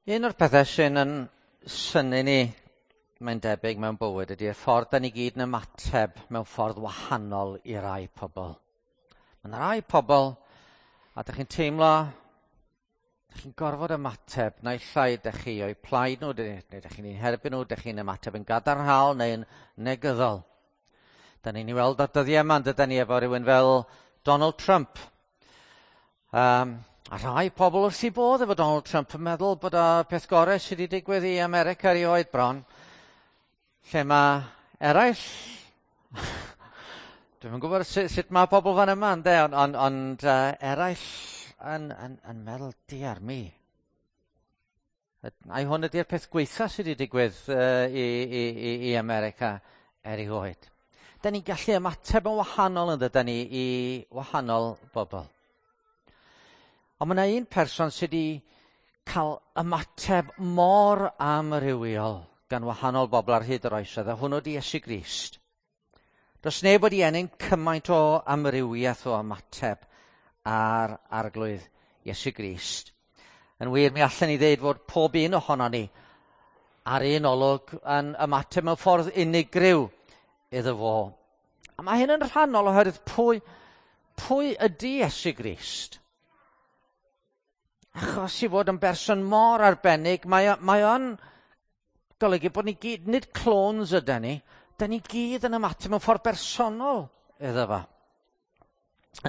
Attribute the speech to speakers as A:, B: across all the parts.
A: Un o'r pethau sy'n yn synnu ni, mae'n debyg mewn bywyd, ydy'r ffordd da ni gyd yn ymateb mewn ffordd wahanol i rai pobl. Mae yna rai pobl, a dych chi'n teimlo, dych chi'n gorfod ymateb, naill ai dych chi o'u plaid nhw, neu dych chi'n eu herbyn nhw, dych chi'n ymateb yn gadarnhaol neu'n negyddol. Da ni'n ei weld ar dyddiau yma, yn dydyn ni, efo rhywun fel Donald Trump. A rhai pobl wrth eu bodd efo Donald Trump yn meddwl bod o peth gorau sydd wedi digwydd i America erioed bron. Lle mae eraill... Dwi'm yn gwybod sut mae pobl fan yma, ynde, ond eraill yn meddwl, diar mi. Ai hwn ydy'r peth gwaetha sydd wedi digwydd i America erioed. Da ni'n gallu ymateb yn wahanol yn dydan ni i wahanol bobl. Ond mae yna un person sydd wedi cael ymateb mor amrywiol gan wahanol bobl ar hyd yr oesoedd, a hwnnw di Iesu Grist. Does neb wedi ennyn cymaint o amrywiaeth o ymateb ar Arglwydd Iesu Grist. Yn wir, mi allan ni ddeud fod pob un ohono ni ar un olwg yn ymateb mewn ffordd unigryw iddo fo. A mae hyn yn rhannol oherwydd pwy ydy Iesu Grist? Achos i fod yn berson mor arbennig, mae o'n golygu bod ni gyd, nid clones ydy ni, da ni gyd yn ymateb mewn ffordd bersonol iddo fo.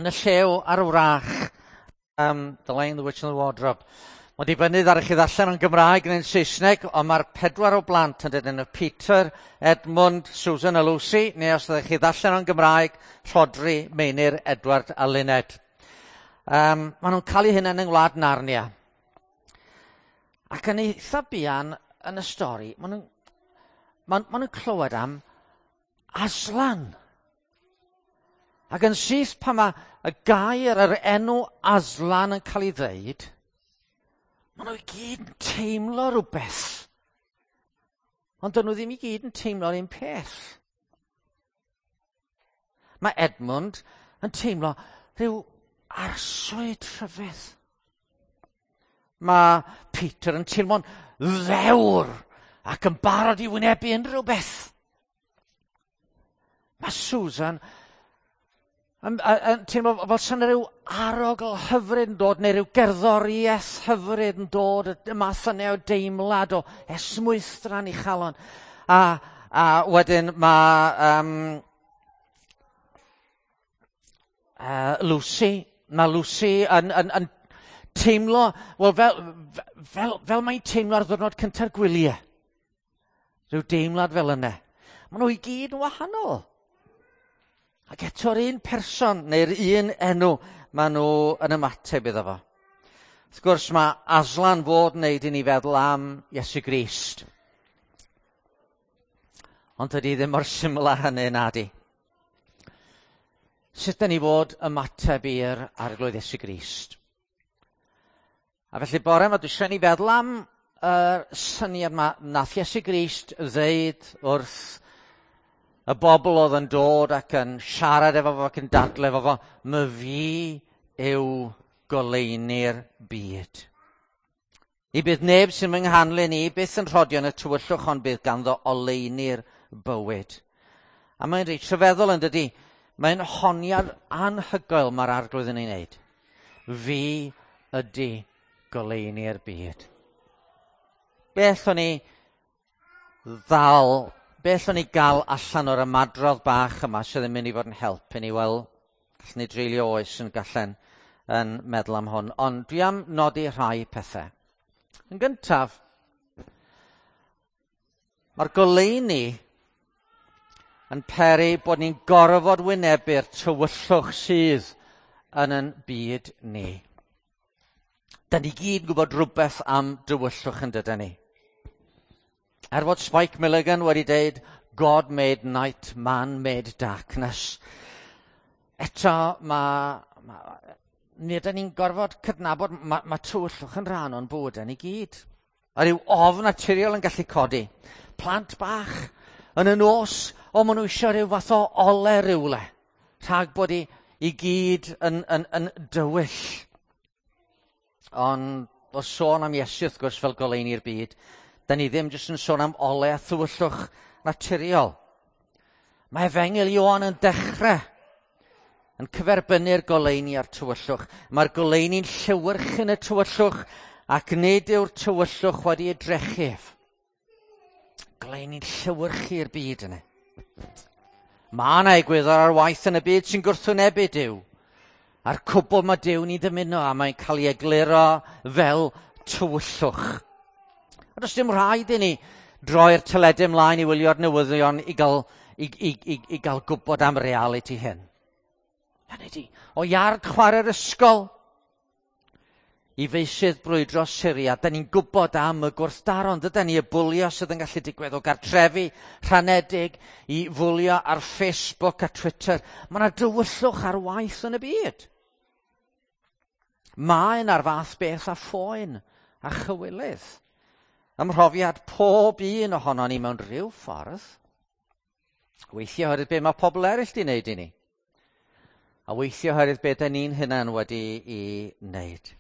A: Yn y Llew a'r Wrach, The Lion, the Witch and the Wardrobe. Mae'n dibynnu ar chi ddarllen yn Gymraeg neu'n Saesneg, ond mae'r 4 o blant yn dydyn nhw, Peter, Edmund, Susan a Lucy, neu os ydych chi ddarllen yn Gymraeg, Rhodri, Meinir, Edward a Luned. Maen nhw'n cael eu hunain yng ngwlad Narnia. Ac yn eitha buan yn y stori, maen nhw'n clywed am Aslan. Ac yn syth pan mae y gair, yr enw Aslan yn cael ei ddeud, maen nhw i gyd yn teimlo rhywbeth. Ond dyn nhw ddim i gyd yn teimlo'r un peth. Mae Edmund yn teimlo rhyw arswyd rhyfedd. Mae Peter yn teimlo'n ddewr ac yn barod i wynebu unrhyw beth. Mae Susan yn teimlo fel sa'n rhyw arogl hyfryd yn dod, neu rhyw gerddoriaeth hyfryd yn dod, y math yna o deimlad o esmwythdra'n ei chalon. A wedyn mae Lucy, mae Lucy yn teimlo, wel, fel mae'n teimlo ar ddwrnod cynta'r gwyliau. Rhyw deimlad fel yna. Maen nhw i gyd yn wahanol. Ac eto'r un person neu'r un enw maen nhw yn ymateb iddo fo. Wrth gwrs mae Aslan fod yn neud i ni feddwl am Iesu Grist. Ond dydy ddim mor syml â hynny, nadi. Sut da ni fod ymateb i'r Arglwydd Iesu Grist? A felly bore yma dwi eisiau ni feddwl am y syniad yma nath Iesu Grist ddeud wrth y bobl oedd yn dod ac yn siarad efo fo ac yn dadle efo fo, my fi yw goleuni'r byd. I bydd neb sy'n fy nghanlyn i byth yn rhodio yn y tywyllwch, ond bydd ganddo oleuni'r bywyd. A mae'n reit rhyfeddol yn dydi, mae'n honiad anhygoel mae'r Arglwydd yn ei wneud. Fi ydy goleuni'r byd. Beth o'n i ddal, beth o'n i gael allan o'r ymadrodd bach yma sydd yn mynd i fod yn help i ni? Wel, gallwn ni dreulio oes yn gallen yn meddwl am hwn, ond dwi am nodi rhai pethau. Yn gyntaf, mae'r goleuni yn peri bod ni'n gorfod wynebu'r tywyllwch sydd yn ein byd ni. Da ni gyd yn gwybod rhywbeth am dywyllwch yn dydan ni. Er fod Spike Milligan wedi deud, God made night, man made darkness. Eto, mi ydyn ni'n gorfod cydnabod, ma tywyllwch yn rhan o'n bywydau ni gyd. A ryw ofn naturiol yn gallu codi. Plant bach yn y nos, o, maen nhw eisiau rhyw fath o ole rywle, rhag bod i gyd yn dywyll. Ond o sôn am Iesu wrth gwrs fel goleuni'r byd, da ni ddim jyst yn sôn am ole a thywyllwch naturiol. Mae Efengyl Ioan yn dechrau yn cyferbynnu'r goleuni a'r tywyllwch. Mae'r goleuni'n llewyrch yn y tywyllwch ac nid yw'r tywyllwch wedi ei drechu ef. Goleuni'n llewyrchu i'r byd yna. Mae yna egwyddor ar waith yn y byd sy'n gwrthwynebu Duw. A'r cwbl mae Duw'n ei ddymuno a mae'n cael ei egluro fel tywyllwch. A does dim rhaid i ni droi'r teledu ymlaen i wylio'r newyddion i gael gwybod am realiti hyn. Hynny ydi, o iard chwarae'r ysgol i feysydd brwydro Syria, da ni'n gwybod am y gwrthdaro, ond dydan ni, y bwlio sydd yn gallu digwydd o gartrefi rhanedig i fwlio ar Facebook a Twitter. Mae yna dywyllwch ar waith yn y byd. Mae yna'r fath beth a phoen a chywilydd. Ym mhrofiad pob un ohono ni mewn rhyw ffordd. Weithiau oherwydd be mae pobl eraill di wneud i ni. A weithiau oherwydd be da ni'n hunan wedi i wneud.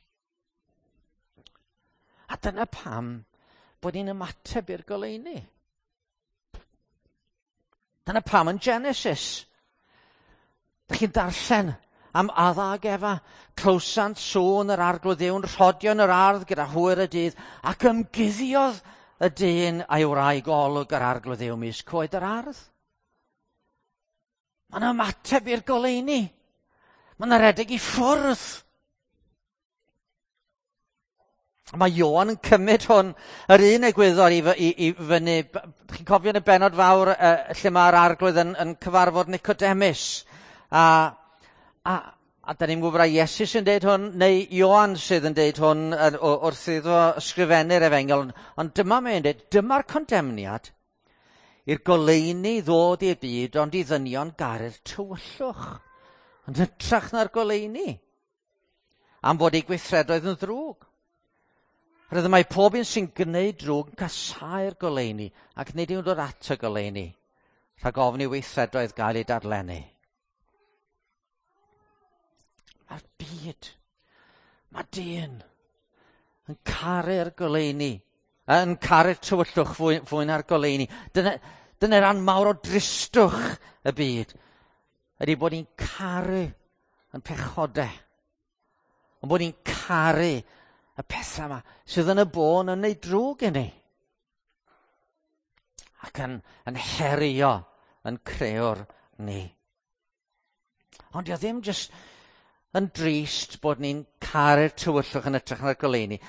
A: A dyna pam bod ni'n ymateb i'r goleuni. Dyna pam yn Genesis. Dych chi'n darllen am Adda ag Efa, clywsant sŵn yr Arglwydd Dduw'n rhodio yn yr ardd gyda hwyr y dydd, ac ymguddiodd y dyn a'i wraig o olwg yr Arglwydd Dduw ymysg coed yr ardd. Mae'n ymateb i'r goleuni. Mae'n rhedeg i ffwrdd. Mae Ioan yn cymryd hwn, yr un egwyddor i fyny. Chi'n cofio yn y bennod fawr lle mae'r Arglwydd yn cyfarfod Nicodemus. A da ni'n gwybod ai Iesu sy'n deud hwn, neu Ioan sydd yn deud hwn wrth iddo ysgrifennu'r efengyl. Ond dyma mae'n deud, dyma'r condemniad i'r goleuni ddod i'r byd, ond i ddynion garu'r tywyllwch. Yn hytrach na'r goleuni. Am fod eu gweithredoedd yn ddrwg. Roedd mae pob un sy'n gwneud drwg yn casáu'r goleuni ac nid yw'n dod at y goleuni, rhag ofn i weithredoedd gael eu dadlennu. Mae'r byd, mae dyn yn caru'r goleuni, yn caru'r tywyllwch fwy na'r goleuni. Dyna ran mawr o dristwch y byd, ydy bod ni'n caru yn pechodau, ond bod ni'n caru y pethau yma sydd yn y bôn yn neud drwg i ni. Ac yn herio yn creuwr ni. Ond dio ddim jyst yn drist bod ni'n caru'r tywyllwch yn hytrach na'r goleuni.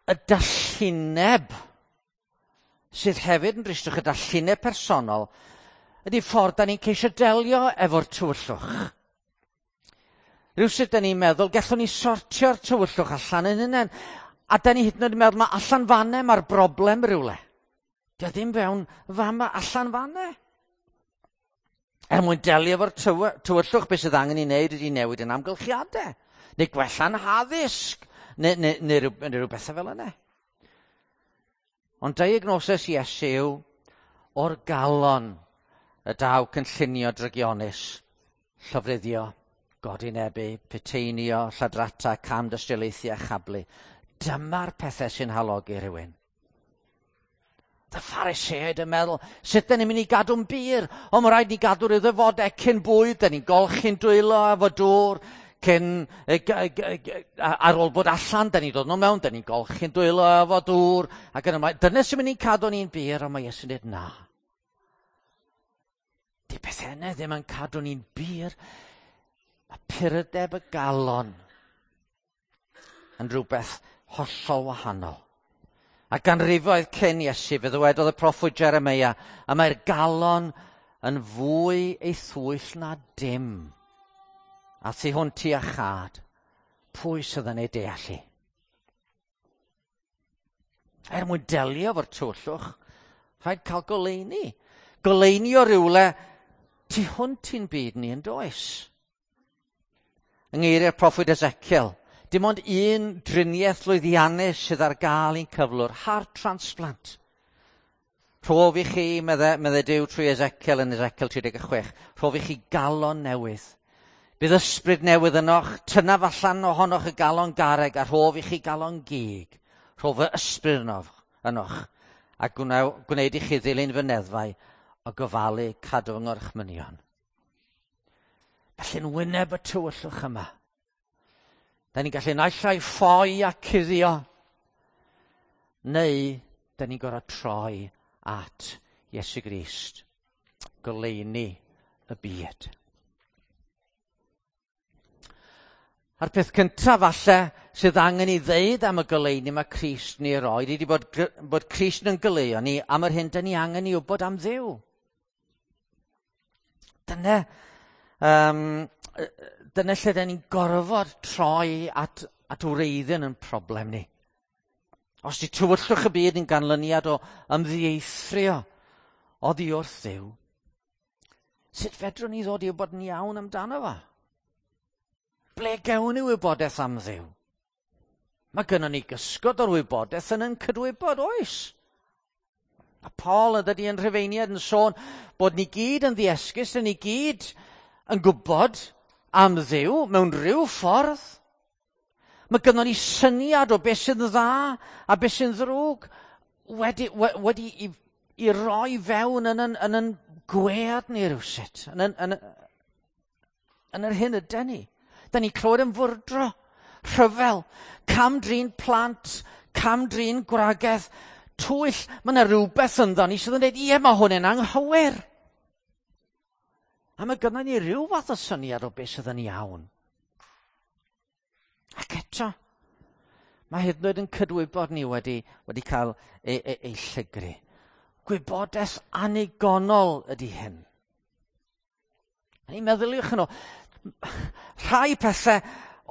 A: Y dallineb sydd hefyd yn dristwch, y dallineb personol, ydy ffordd da ni'n ceisio delio efo'r tywyllwch. Rhywsut da ni'n meddwl, gallwn ni sortio'r tywyllwch allan yn hunain. A da ni hyd yn oed yn meddwl, mae allan fanne mae'r broblem rhywle. Dio ddim fewn fama, allan fanne. Er mwyn delio efo'r tywyllwch, beth sydd angen i wneud ydy newid yn amgylchiadau. Neu gwella'n haddysg, neu rhyw bethau fel yna. Ond diagnosis Iesu yw o'r galon y daw cynllunio drygionus, llofruddio, godinebu, puteinio, lladrata, cam dystiolaethu a chablu. Dyma'r pethau sy'n halogi rhywun. Y Phariseaid yn meddwl, sut dyn ni'n mynd i gadw'n bur? O, mae rhaid ni gadw'r ddefodau cyn bwyd, dyn ni'n golchi'n dwylo efo dŵr, cyn, ar ôl bod allan, dyn ni'n dod nhw mewn, dyn ni'n golchi'n dwylo efo dŵr, ac yn ymlaen. Dyna sy'n mynd i'n cadw ni'n bur, ond mae Iesu'n dweud na. Di pethau yna ddim yn cadw ni'n bur. Mae purdeb y galon yn rhywbeth hollol wahanol. A ganrifoedd cyn Iesu, fe ddywedodd y proffwyd Jeremia, a mae'r galon yn fwy ei thwyll na dim. A thu hwnt i iachâd, pwy sydd yn ei deall hi? Er mwyn delio efo'r tywyllwch, rhaid cael goleuni. Goleuni o rywle tu hwnt i'n byd ni yn does. Yng ngeiriau'r proffwyd Ezekiel, dim ond un driniaeth lwyddiannus sydd ar gael i'n cyflwr, heart transplant. Rhof i chi, medde Duw trwy Ezekiel yn Ezekiel 36, rhof i chi galon newydd. Bydd ysbryd newydd ynoch, tynaf allan ohonoch y galon garreg a rhof i chi galon gig. Rhof fy ysbryd ynoch, a gwneud i chi ddilyn fy neddfau o gofalu cadw yng ngorchmynion. Felly'n wyneb y tywyllwch yma, da ni'n gallu naill ai ffoi a cuddio, neu da ni'n gorfod troi at Iesu Grist, goleuni y byd. A'r peth cyntaf falle sydd angen i ddeud am y goleuni mae Crist ni roed ydy bod Crist yn goleuo ni am yr hyn da ni angen i wybod am Dduw. Dyna lle da ni'n gorfod troi at wreiddyn yn problem ni. Os di tywyllwch y byd yn ganlyniad o ymddieithrio oddi wrth Dduw, sut fedrwn ni ddod i wybod yn iawn amdano fo? Ble gewn ni wybodaeth am Dduw? Mae gynnon ni gysgod o'r wybodaeth yn ein cydwybod, oes? A Paul yn dydi yn Rhufeiniad yn sôn bod ni gyd yn ddiesgus, ni gyd yn gwybod am Dduw mewn rhyw ffordd. Mae gynnon ni syniad o beth sy'n dda a beth sy'n ddrwg wedi i roi fewn yn yn gwead ni rywsut, yn yr hyn yden ni. Da ni clywed yn fwrdro, rhyfel, cam-drin plant, cam-drin gwragedd, twyll. Mae yna rhywbeth ynddo ni sydd yn dweud, ie, mae hwn yn anghywir. A mae gynnon ni rhyw fath o syniad o beth sydd yn iawn. Ac eto, mae hyd yn oed yn cydwybod ni wedi cael ei llygru. Gwybodaeth annigonol ydy hyn. A ni'n meddyliwch yn ôl, rhai pethau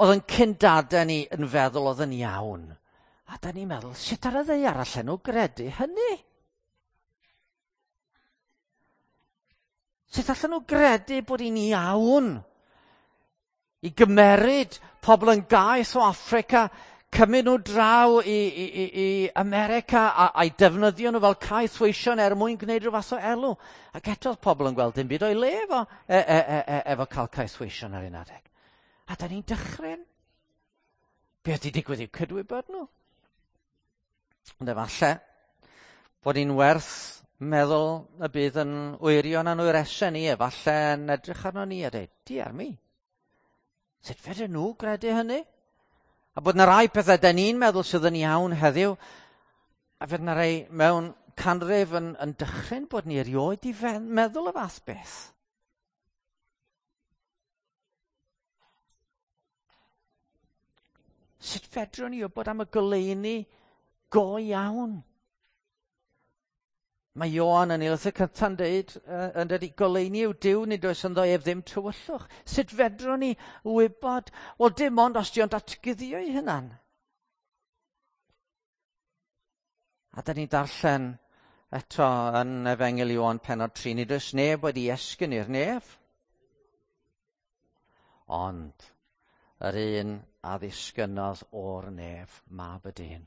A: oedd yn cyndadau ni yn feddwl oedd yn iawn. A da ni'n meddwl, sut ar y ddaear allan nhw gredu hynny? Sut allan nhw gredu bod hi'n iawn i gymeryd pobl yn gaeth o Affrica, cymryd nhw draw i America a'i defnyddio nhw fel caethweision er mwyn gwneud rhyw fath o elw. Ac eto oedd pobl yn gweld dim byd o'i le efo cael caethweision ar un adeg. A da ni'n dychryn. Be oedd 'di digwydd i'w cydwybod nhw? Ond efallai bod hi'n werth meddwl y bydd yn wyrion a'n wyresau ni, efallai yn edrych arno ni a dweud, diar mi, sut fedrwn nhw gredu hynny? A bod yna rai pethau da ni'n meddwl sydd yn iawn heddiw, a fydd yna rai mewn canrif yn dychryn bod ni erioed i meddwl y fath beth. Sut fedrwn ni wybod am y goleuni go iawn? Mae Ioan yn ei lythyr cynta'n deud, yn dweud, goleuni yw Duw, nid oes ynddo ef ddim tywyllwch. Sut fedrwn ni wybod? Wel, dim ond os di o'n datguddio ei hunan. A da ni'n darllen eto yn Efengyl Ioan pennod 3, nid oes neb wedi esgyn i'r nef. Ond yr un a ddisgynnodd o'r nef, Mab y Dyn.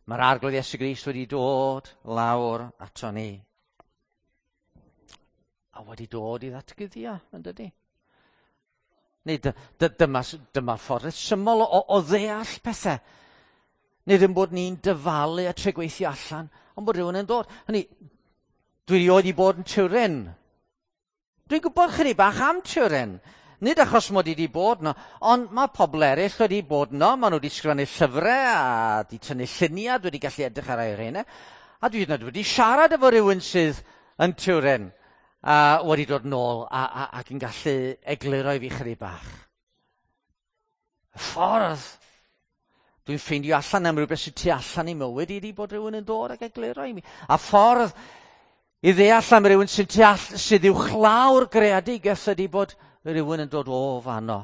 A: Mae'r Arglwydd Iesu Grist wedi dod lawr ato ni. A wedi dod i ddatguddio, yn dydi? Neu dyma ffordd syml o ddeall pethau. Nid yn bod ni'n dyfalu a trio gweithio allan, ond bod rhywun yn dod. Hynny, dwi erioed 'di bod yn Turin. Dwi'n gwybod chydig bach am Turin. Nid achos mod i wedi bod yno, ond mae pobl eraill wedi bod yno, maen nhw wedi sgrifennu llyfrau a wedi tynnu lluniau, dwi wedi gallu edrych ar eu rheina. A dwi hyd yn oed wedi siarad efo rhywun sydd yn Turin a wedi dod nôl ac yn gallu egluro i fi chydig bach. Y ffordd dwi'n ffeindio allan am rhywbeth sydd tu allan i mywyd i ydi bod rhywun yn dod ac egluro i mi. A ffordd i ddeall am rhywun sydd sydd uwchlaw'r greadigaeth ydi bod rhywun yn dod o fanno,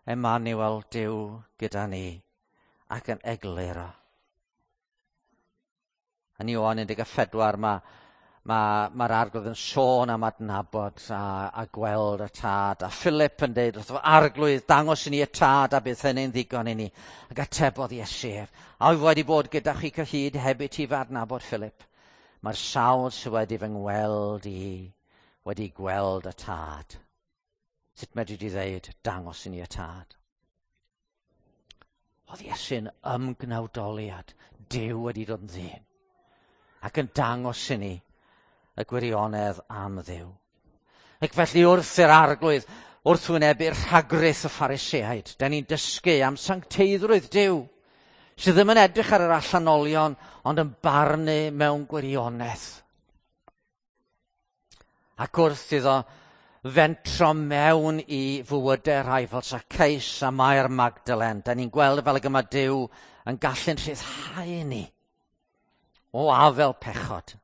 A: Emmanuel, Duw gyda ni, ac yn egluro. Yn Ioan 14 mae'r Arglwydd yn sôn am adnabod a gweld y Tad. A Philip yn deud wrtho fo, Arglwydd, dangos i ni y Tad a bydd hynny'n ddigon i ni. Ac atebodd Iesu ef, a wyf wedi bod gyda chi cyhyd heb i ti fy adnabod, Philip. Mae'r sawl sydd wedi fy ngweld i wedi gweld y Tad. Sut medri di ddeud, dangos i ni y tad? Oedd Iesu'n ymgnawdoliad, Duw wedi dod yn ddyn, ac yn dangos i ni y gwirionedd am Dduw. Ac felly wrth i'r arglwydd, wrth wynebu'r rhagrith y Phariseaid, da ni'n dysgu am sancteiddrwydd Duw, sydd ddim yn edrych ar yr allanolion, ond yn barnu mewn gwirionedd. Ac wrth iddo fentro mewn i fywydau rhai fel Zacchaeus a Mair Magdalen, da ni'n gweld fel ag yma Duw yn gallu'n rhyddhau ni o afel pechod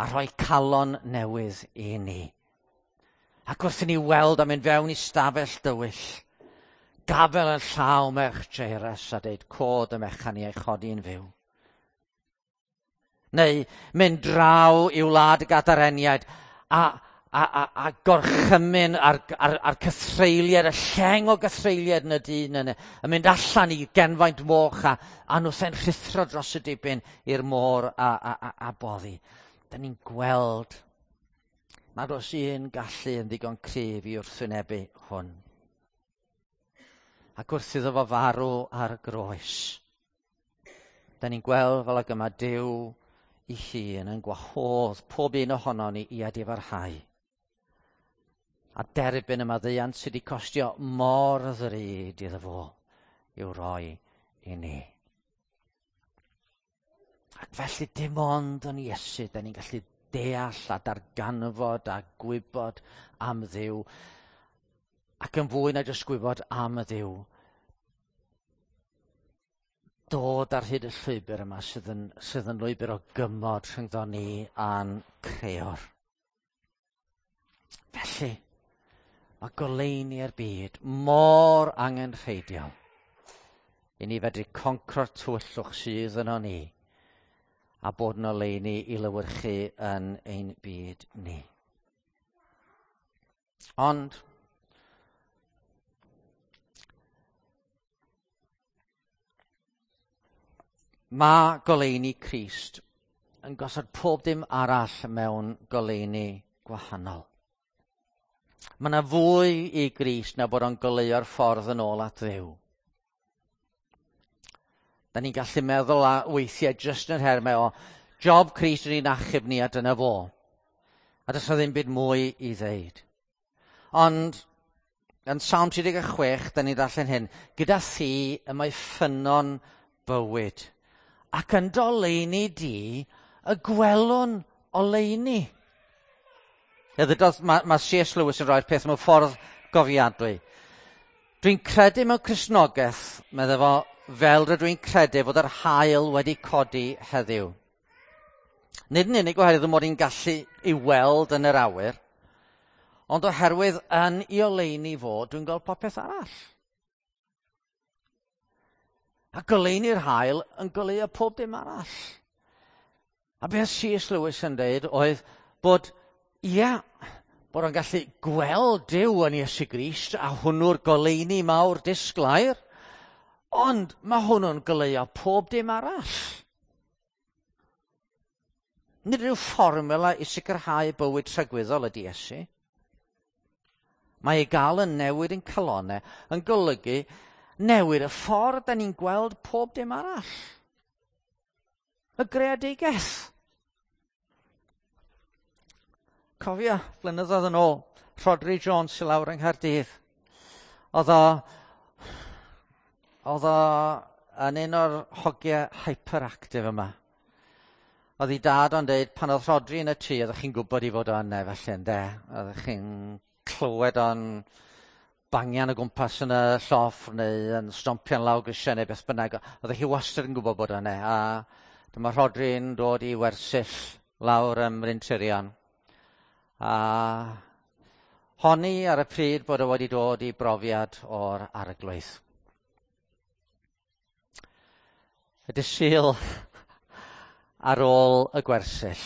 A: a rhoi calon newydd i ni. Ac wrth i ni weld am mynd fewn i stafell dywyll, gafel yn llaw merch Jairus a deud cod y mechan i ei chodi'n fyw. Neu mynd draw i wlad y Gadareniaid a, a, a, a gorchymyn ar, ar, ar cythreuliad, y lleng o gythreuliad yn y dyn yna, yn mynd allan i genfaint moch a, a nhw'n rhuthro dros y dibyn i'r môr a, a, a, a boddi. Da ni'n gweld nad oes un gallu yn ddigon cryf i wrthwynebu hwn. Ac wrth iddo fo farw ar y groes, da ni'n gweld fel ag yma Duw i hun yn gwahodd pob un ohono ni i adifarhau. A derbyn y maddeuant sydd wedi costio mor ddrud iddo fo i'w roi i ni. Ac felly dim ond yn Iesu, da ni'n gallu deall a darganfod a gwybod am Dduw. Ac yn fwy na jyst gwybod am y Dduw, dod ar hyd y llwybr yma sydd yn, sydd yn lwybr o gymod rhyngddo ni a'n creor. Felly, mae goleuni'r byd mor angenrheidiol i ni fedru concro'r tywyllwch sydd yno ni a bod yn oleuni i lywyrchu yn ein byd ni. Ond, mae goleuni Crist yn gosod pob dim arall mewn goleuni gwahanol. Mae yna fwy i Grist na bod o'n goleuo'r ffordd yn ôl at Dduw. Da ni'n gallu meddwl a weithiau jyst yn nhermau o job Crist yn ein achub ni a dyna fo. A does na ddim byd mwy i ddeud. Ond yn Salm 36, da ni'n darllen hyn, gyda thi y mae ffynnon bywyd, ac yn doleini di y gwelwn oleuni. Mae, mae C.S. Lewis yn rhoi'r peth mewn ffordd gofiadwy. Dwi'n credu mewn Cristnogaeth, meddai fo, fel rydw i'n credu fod yr haul wedi codi heddiw. Nid yn unig oherwydd mod i'n gallu i weld yn yr awyr, ond oherwydd yn i oleuni fod, dwi'n gweld popeth arall. A goleuni'r haul yn goleuo pob dim arall. A beth C.S. Lewis yn dweud oedd bod, ia, bod o'n gallu gweld Duw yn Iesu Grist a hwnnw'r goleuni mawr disglair, ond mae hwnnw'n goleuo pob dim arall. Nid rhyw fformula i sicrhau bywyd tragwyddol ydy Iesu. Mae ei gael yn newid yn calonau yn golygu newid y ffordd da ni'n gweld pob dim arall. Y greadigaeth. Cofio, blynyddoedd yn ôl, Rhodri Jones i lawr yng Nghaerdydd. Oedd o, oedd o yn un o'r hogiau hyperactive yma. Oedd ei dad o'n deud, pan oedd Rhodri yn y tŷ, oeddech chi'n gwybod i fod o yna, felly, ynde? Oeddech chi'n clywed o'n bangian o gwmpas yn y lloff neu yn stompian lawr grisiau neu beth bynnag. Oeddech chi wastad yn gwybod bod o yna. A dyma Rhodri'n dod i wersyll lawr ym Mryn Tirion. A honni ar y pryd bod o wedi dod i brofiad o'r arglwydd. Y dydd Sul ar ôl y gwersyll,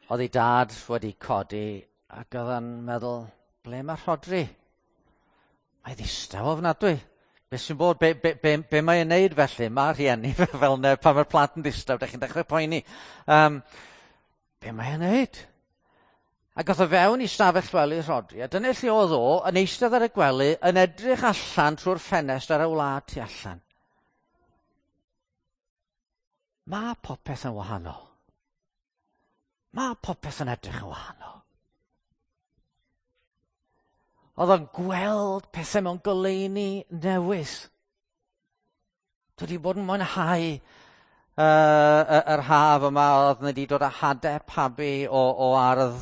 A: oedd ei dad wedi codi ac oedd o'n meddwl, ble mae Rhodri? Mae ddistaw ofnadwy. Be sy'n bod? Be, be, be, be mae'n neud felly? Mae rhieni fel ne, pan mae'r plant yn ddistaw, da chi'n dechrau poeni. Um, be mae'n neud? Ac oedd o fewn i stafell wely Rhodri, a dyna lle oedd o, yn eistedd ar y gwely, yn edrych allan trwy'r ffenest ar y wlad tu allan. Mae popeth yn wahanol. Mae popeth yn edrych yn wahanol. Oedd o'n gweld pethau mewn goleuni newydd. Dwi wedi bod yn mwynhau yr haf yma, oedd wedi dod â hadau pabi o ardd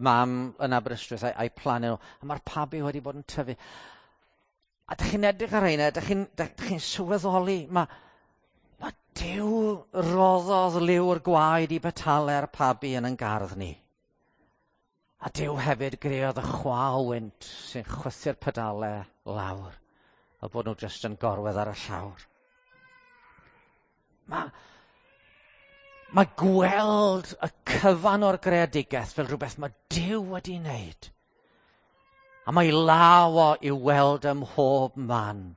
A: mam yn Aberystwyth a'i plannu nhw. A mae'r pabi wedi bod yn tyfu. A dych chi'n edrych ar rheina, dych chi'n sylweddoli, mae Duw roddodd liw'r gwaed i betalau'r pabi yn ein gardd ni. A Duw hefyd greodd y chwa o wynt sy'n chwythu'r pedalau lawr, a bod nhw jyst yn gorwedd ar y llawr. Mae gweld y cyfan o'r greadigaeth fel rhywbeth mae Duw wedi wneud. A mae law o i'w weld ym mhob man.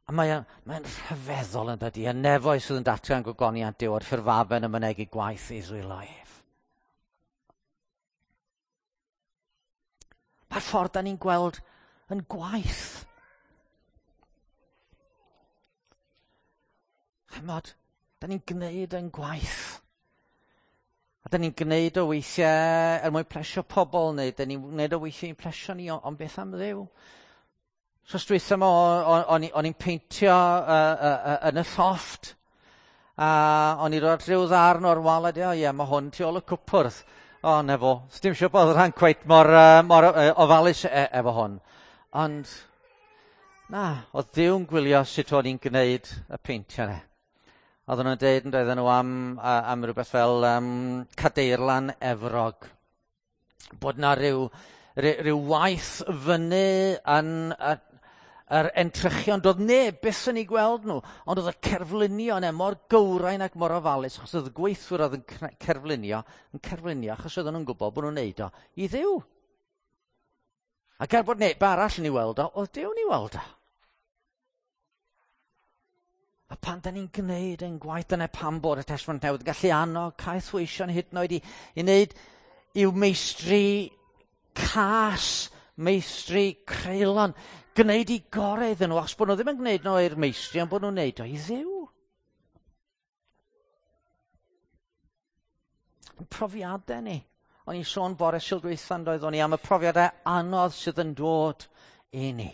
A: A mae'n rhyfeddol yn dydi, y nefoedd sydd yn datgan gogoniant Duw a'r ffurfafen yn mynegi gwaith ei ddwylo ef. Mae'r ffordd da ni'n gweld yn gwaith. Chymod, da ni'n gwneud yn gwaith. A da ni'n gwneud o weithiau er mwyn plesio pobl, neu da ni'n gwneud o weithiau i'n plesio ni, ond beth am Dduw? So dwytha yma, o'n i'n peintio yn y llofft, a o'n i'n rhoi rhyw ddarn o'r wal, a o ie, mae hwn tu ôl y cwpwrdd. O, na fo, dim siŵr bod rhan cweit mor ofalus efo hwn. Ond, na, oedd Duw'n gwylio sut o'n i'n gwneud y peintio yna. Oedden nhw'n deud yn doedden nhw am rhywbeth fel Cadeirlan Efrog. Bod na rhyw waith fyny yn yr entrychion. Doedd neb byth yn eu gweld nhw, ond oedd y cerflunio yna mor gywrain ac mor ofalus, achos oedd y gweithwyr oedd yn cerflunio, achos oedden nhw'n gwybod bod nhw'n neud o i Dduw. Ac er bod neb arall yn ei weld o, oedd Duw'n ei weld o. A pan da ni'n gwneud ein gwaith, dyna pam bod y Testament Newydd yn gallu annog caethweision hyd yn oed i wneud i'w meistri cas, meistri creulon, gwneud i gorau iddyn nhw, achos bod nhw ddim yn gwneud nhw i'r meistri, ond bod nhw'n gwneud o i Dduw. Profiadau ni. O'n i'n sôn bore Sul dwytha, doeddwn i, am y profiadau anodd sydd yn dod i ni.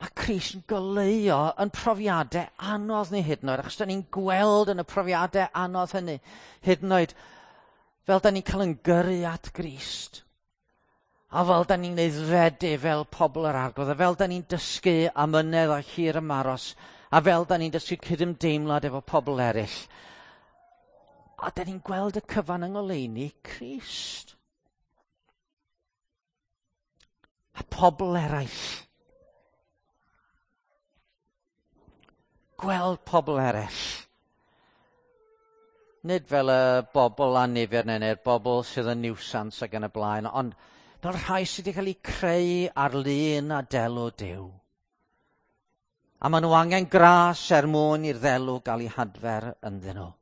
A: Mae Crist yn goleuo yn profiadau anodd ni hyd yn oed, achos da ni'n gweld yn y profiadau anodd hynny hyd yn oed, fel da ni'n cael yn gyrru at Grist. A fel da ni'n aeddfedu fel pobl yr Arglwydd, a fel da ni'n dysgu amynedd a hir ymaros, a fel da ni'n dysgu cydymdeimlad efo pobl eraill. A da ni'n gweld y cyfan yng ngoleuni Crist. A pobl eraill. Gweld pobl eraill. Nid fel y bobl annifyr neu'r bobl sydd yn niwsans ac yn y blaen, ond fel rhai sydd wedi cael eu creu ar lun a delw Duw. A maen nhw angen gras er mwyn i'r ddelw gael ei hadfer ynddyn nhw.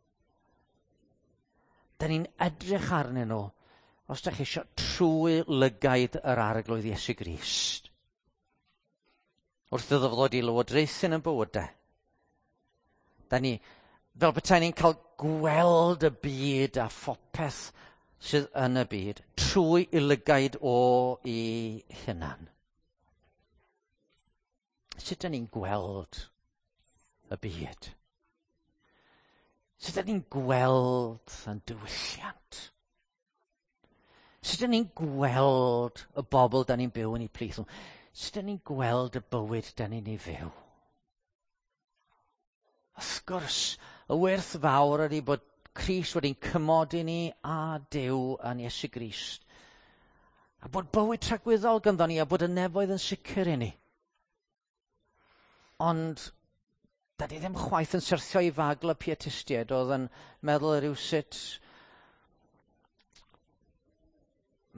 A: Da ni'n edrych arnyn nhw, os da chi eisiau, trwy lygaid yr Arglwydd Iesu Grist. Wrth iddo fo ddod i lywodraethu yn bywydau. Da ni, fel petai ni'n cael gweld y byd a phopeth sydd yn y byd trwy i lygaid o i hunan. Sut da ni'n gweld y byd? Sut da ni'n gweld yn diwylliant? Sut da ni'n gweld y bobl da ni'n byw yn eu plith nhw? Sut da ni'n gweld y bywyd da ni'n ei fyw? Wrth gwrs, y werth fawr ydy bod Crist wedi'n cymodi ni a Duw yn Iesu Grist. A bod bywyd tragwyddol ganddo ni a bod y nefoedd yn sicr i ni. Ond da ni ddim chwaith yn syrthio i fagl y pietistiaid oedd yn meddwl rhywsut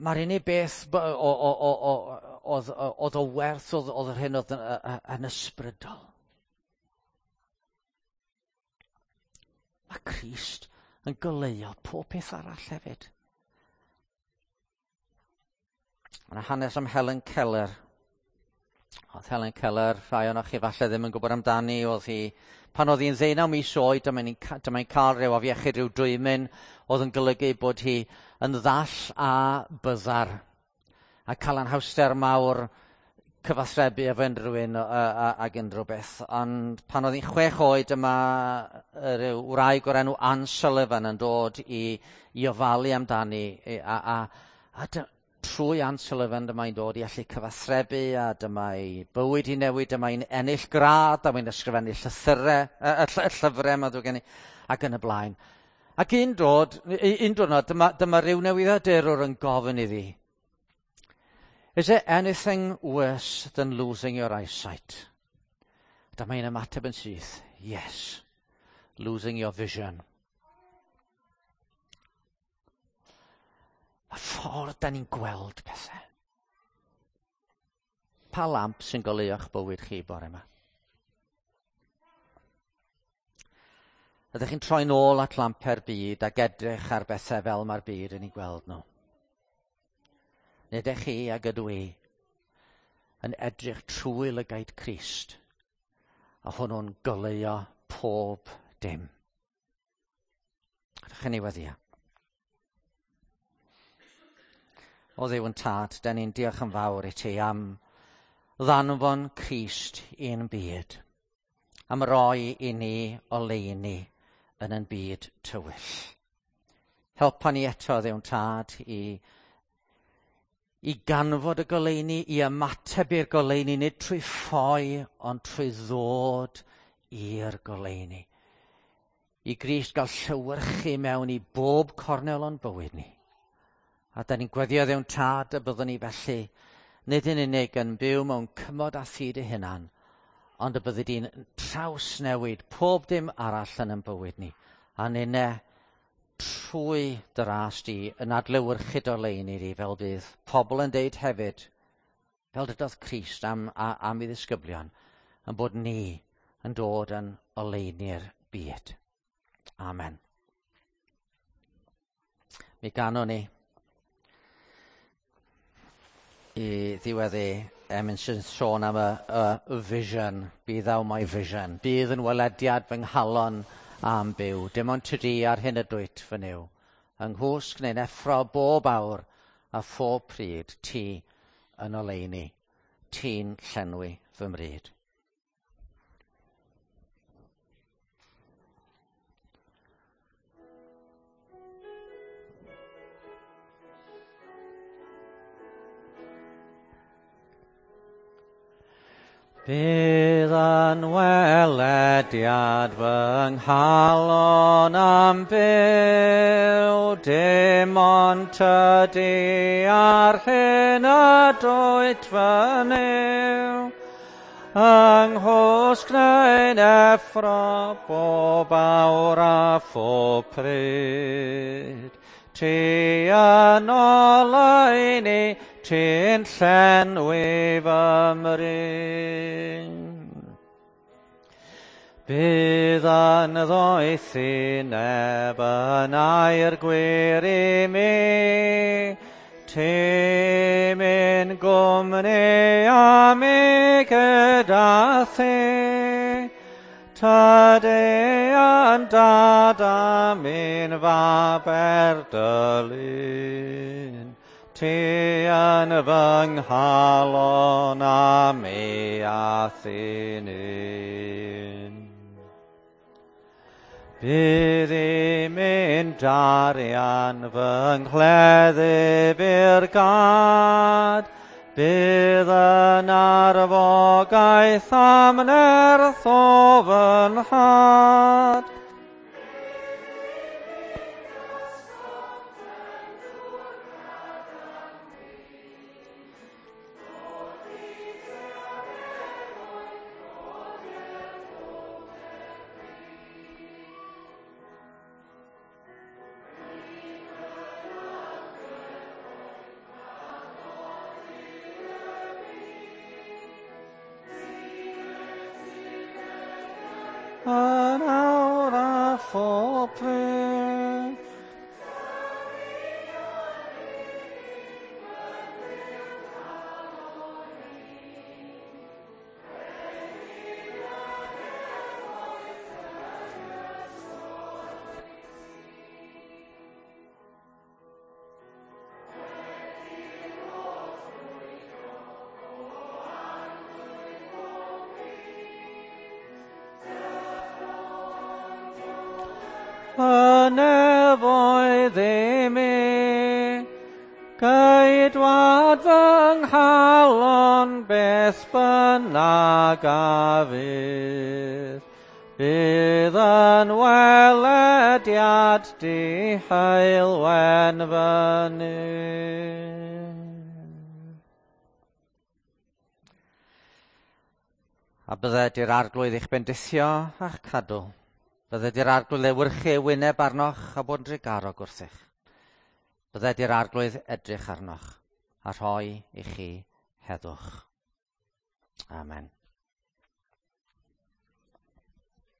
A: mae'r unig beth oedd o werth oedd yr hyn oedd yn ysbrydol. Mae Crist yn goleuo pob peth arall hefyd. Mae yna hanes am Helen Keller. Oedd Helen Keller, rhai ohonoch chi falle ddim yn gwybod amdani, oedd hi, pan oedd hi'n 19 mis oed, dyma hi'n cael rhyw afiechyd, rhyw dwymyn, oedd yn golygu bod hi yn ddall a byddar, a cael anhawster mawr cyfathrebu efo unrhyw un ag unrhyw beth. Ond pan oedd hi'n 6 oed, dyma rhyw wraig o'r enw Anne Sullivan yn dod i ofalu amdani, a trwy Anne Sullivan dyma hi'n dod i allu cyfathrebu, a dyma ei bywyd i newid, dyma hi'n ennill gradd, dyma hi'n ysgrifennu llythyrau, llyfrau, mae'n ddrwg gen i, ac yn y blaen. Ac un diwrnod, dyma rhyw newyddiadurwr yn gofyn iddi, "Is there anything worse than losing your eyesight?" Dyma hi'n ymateb yn syth, "Yes, losing your vision." Y ffordd da ni'n gweld pethau. Pa lamp sy'n goleuo'ch bywyd chi bore yma? Ydych chi'n troi nôl at lampau'r byd ac edrych ar bethau fel mae'r byd yn ei gweld nhw? Neu ydych chi ag ydw i yn edrych trwy lygaid Crist, a hwnnw'n goleuo pob dim? Ydych chi'n ei weddio? O Dduw yn Tad, da ni'n diolch yn fawr i ti am ddanfon Crist i'n byd, am roi i ni oleuni yn ein byd tywyll. Helpa ni eto, Dduw'n Tad, i ganfod y goleuni, i ymateb i'r goleuni, nid trwy ffoi, ond trwy ddod i'r goleuni. I Grist gael llewyrchu mewn i bob cornel o'n bywyd ni. A da ni'n gweddio, Dduw'n Tad, y byddwn ni felly, nid yn unig yn byw mewn cymod â thi dy hunan, ond y byddi di'n trawsnewid pob dim arall yn ein bywyd ni. A ninne, trwy dy ras di, yn adlewyrchu dy oleuni di, fel bydd pobl yn deud hefyd, fel dydodd Crist am ei ddisgyblion, yn bod ni yn dod yn oleuni'r byd. Amen. Mi ganwn ni i ddiweddu emyn sy'n sôn am y vision. Be thou my vision. Bydd yn welediad fy nghalon am byw. Dim ond tydi ar hyn y dwyt fy Nuw. Yng nghwsg neu'n effro bob awr a phob pryd ti yn oleuni. Ti'n llenwi fy mryd. Bydd yn welediad fy nghalon am byw, dim ond tydi ar hyn y dwyt fy Nuw. Yng nghwsg neu'n effro bob awr a phob pryd, ti yn oleuni, ti'n llenwi fy mryd. Bydd yn ddoethineb yn air gwir i mi, ti'n mynd gwmni a mi gyda thi. Tydi yn dad a mi'n fab er dy lun, ti yn fy nghalon a mi a thi'n un. Bydd i mi'n darian fy nghleddyf i'r gad, bydd yn arfogaeth am nerth o fy nhad. Yn awr a phob pryd. nefoedd i mi. Ceidwad fy nghalon beth bynnag a fydd. Bydd yn welediad di heulwen fyny. A bydded i'r Arglwydd eich bendithio a'ch cadw. Bydded i'r Arglwydd lewyrchu ei wyneb arnoch a bod yn drugarog wrthych. Bydded i'r Arglwydd edrych arnoch a rhoi i chi heddwch. Amen.